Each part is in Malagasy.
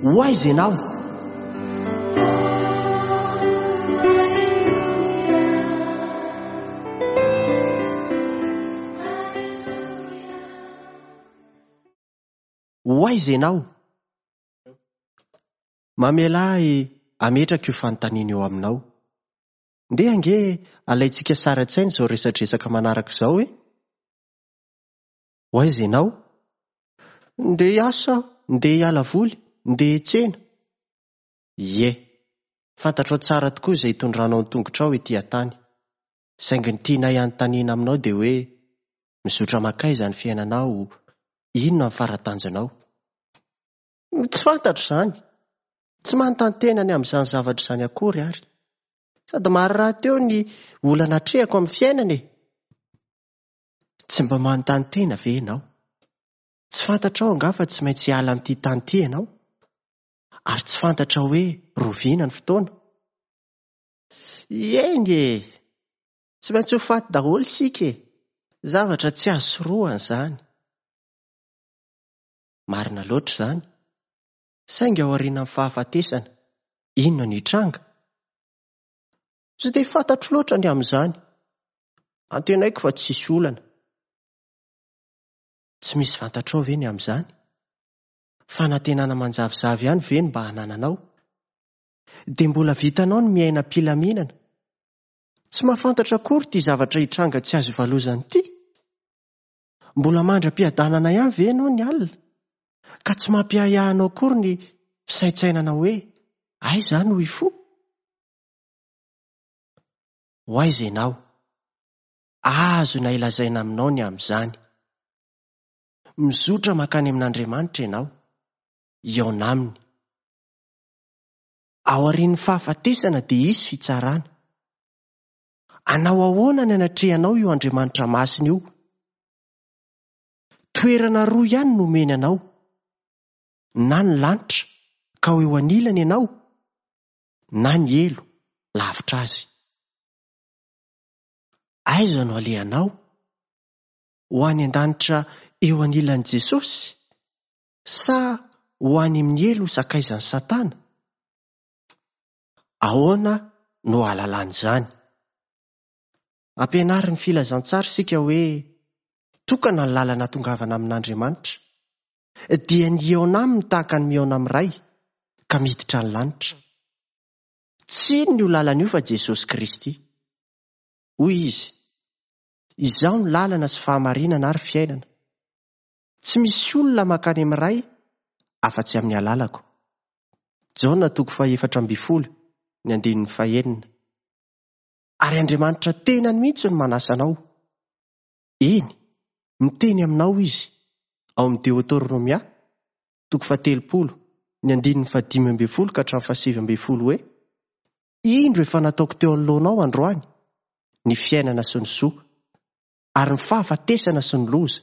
Ho aiza ianao? Ho aiza ianao? Mamelà ahy hametraka io fanontaniana io aminao. Ndeha ange alaintsika sary an-tsaina izao resadresaka manaraka izao e! Ho aiza ianao? Ndeha hiasa aho, ndeha hiala voly, ndeha hiantsena. Ie, fantatrao tsara tokoa izay hitondranao ny tongotrao ety an-tany. Saingy ny tianay hanontaniana aminao dia hoe, mizotra mankaiza ny fiainanao, inona ny fara-tanjonao? Tsy fantatro izany. Tsy manontany tena ny amin'izany zavatra izany akory ary. Sady maro rahateo ny olana atrehako amin'ny fiainana e! Tsy mba manontany tena ve ianao? Tsy fantatrao angaha fa tsy maintsy hiala amin'ity tany ity ianao? Ary tsy fantatrao hoe roviana ny fotoana? Eny e! Tsy maintsy ho faty daholo isika e! Zavatra tsy azo sorohana izany. Marina loatra izany. Saingy aorianan'ny fahafatesana, inona no hitranga? Tsy dia fantatro loatra ny amin'izany. Antenaiko fa tsy hisy olana. Tsy misy fantatrao ve ny amin'izany? Fanantenana manjavozavo ihany ve no mba anananao? Dia mbola vitanao ny miaina am-pilaminana? Tsy mahafantatra akory ity zavatra hitranga tsy azo ivalozana ity? Mbola mandry am-piadanana ihany ve ianao ny alina? Ka tsy mampiahiahy anao akory ny fisaintsainana hoe aiza aho no hifoha? Ho aiza ianao? Azonay lazaina aminao ny amin'izany. Mizotra mankany amin'Andriamanitra ianao, hihaona Aminy. Aorian'ny fahafatesana dia hisy fitsarana. Hanao ahoana ny anatrehanao io Andriamanitra masina io? Toerana roa ihany no omeny anao, na ny lanitra, ka ho eo anilany ianao, na ny helo, lavitra azy. Aiza no alehanao? Ho any an-danitra eo anilan'i Jesosy? Sa ho any amin'ny helo ho sakaizan'i Satana? Ahoana no ahalalana izany? Ampianarin'ny filazantsara isika hoe tokana ny lalana atongavana amin'Andriamanitra, dia ny hihaona aminy tahaka ny mihaona amin'ny Ray, ka miditra ny lanitra. Tsy inona io lalana io fa Jesosy Kristy. Hoy Izy, Izaho no lalana sy fahamarinana ary fiainana. Tsy misy olona mankany amin'ny Ray afa-tsy amin'ny alalako. Jaona toko faha-14, ny andininy fahenina. Ary Andriamanitra tenany mihitsy no manasa anao. Eny, miteny aminao Izy, ao amin'ny Deoteronomia, toko faha-30, ny andininy faha-15 ka hatramin'ny faha-19 hoe, Indro efa nataoko teo anoloanao androany ny fiainana sy ny soa, ary ny fahafatesana sy ny loza.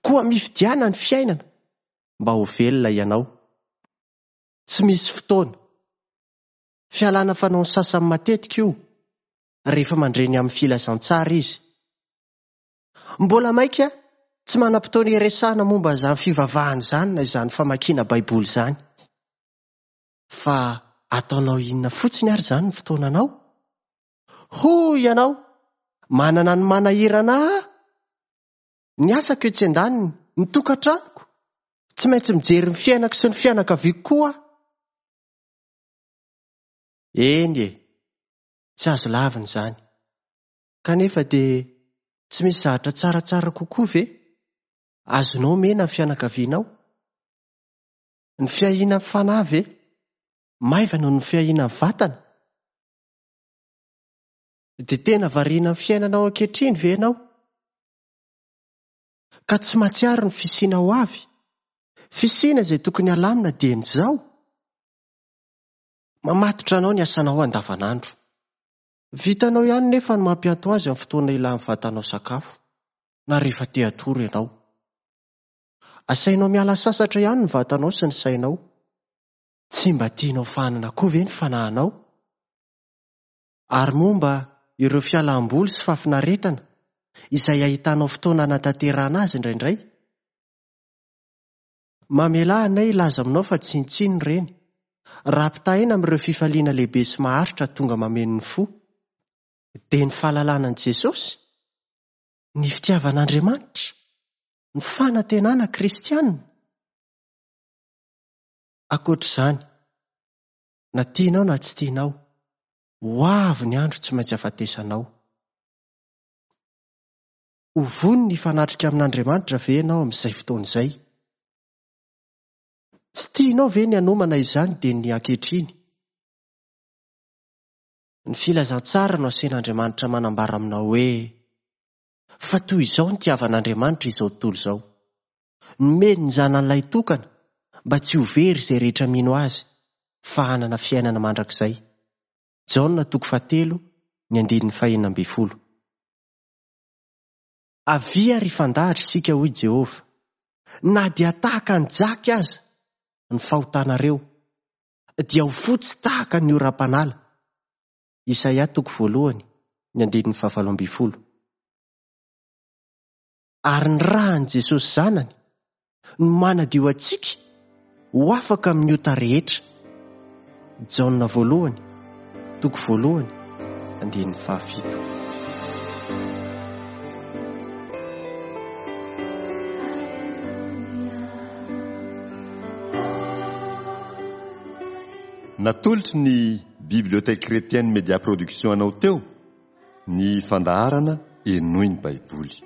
Koa mifidiana ny fiainana mba ho velona ianao. Tsy misy fotoana. Fialana fanaon'ny sasany matetika io rehefa mandre ny amin'ny filazantsara izy. Mbola maika tsy manam-potoana hiresahana momba izany fivavahana izany na izany famakiana Baiboly izany. Fa ataonao inona fotsiny ary izany ny fotoananao? Hoy ianao, manana ny manahirana ahy. Ny asako etsy andaniny, ny tokantranoko. Tsy maintsy mijery ny fiainako sy ny fianakaviako koa aho. Eny e, tsy azo lavina izany. Kanefa dia tsy misy zavatra tsaratsara kokoa ve azonao omena ny fianakavianao? Ny fiahiana ny fanahy ve maivana noho ny fiahiana ny vatana? Dia tena variana amin'ny fiainanao ankehitriny ve ianao? Ka tsy mahatsiaro ny fisiana ho avy? Fisiana izay tokony halamina dieny izao? Mamatotra anao ny asanao andavanandro. Vitanao ihany nefa ny mampianto azy amin'ny fotoana ilan'ny vatanao sakafo, na rehefa te hatory ianao. Asainao miala sasatra ihany ny vatanao sy ny sainao. Tsy mba tianao fahanana koa ve ny fanahinao? Ary momba ireo fialam-boly sy fahafinaretana izay ahitanao fotoana hanatanterahana azy indraindray? Mamelà anay hilaza aminao fa tsinontsinona ireny, raha ampitahaina amin'ireo fifaliana lehibe sy maharitra tonga mameno ny fo, dia ny fahalalana an'i Jesosy, ny fitiavan'Andriamanitra, ny fanantenana kristiana. Ankoatra izany, na tianao na tsy tianao, ho avy ny andro tsy maintsy hahafatesanao. Ho vonona hifanatrika amin'Andriamanitra ve ianao amin'izay fotoana izay? Tsy tianao ve ny hanomana izany dia ny ankehitriny? Ny filazantsara no asain'Andriamanitra manambara aminao hoe, Fa toy izao nitiavan'Andriamanitra izao tontolo izao. Nomeny ny Zanany lahitokana mba tsy ho very izay rehetra mino Azy fa hanana fiainana mandrakizay. Jaona toko fahatelo ny andininy fahenina ambin'ny folo. Avia ary hifandahatra isika, hoy Jehovah, na dia tahaka ny jaky aza ny fahotanareo, dia ho fotsy tahaka ny oram-panala. Isaia toko voalohany, ny andininy fahavalo ambin'ny folo. Ary ny ràn'i Jesosy Zanany no manadio antsika ho afaka amin'ny ota rehetra. Jaona voalohany, toko voalohany, andininy fahafito. Natolotry ny Bibliothèque Chrétienne Media Production anao teo ny fandaharana Henoy ny Baiboly.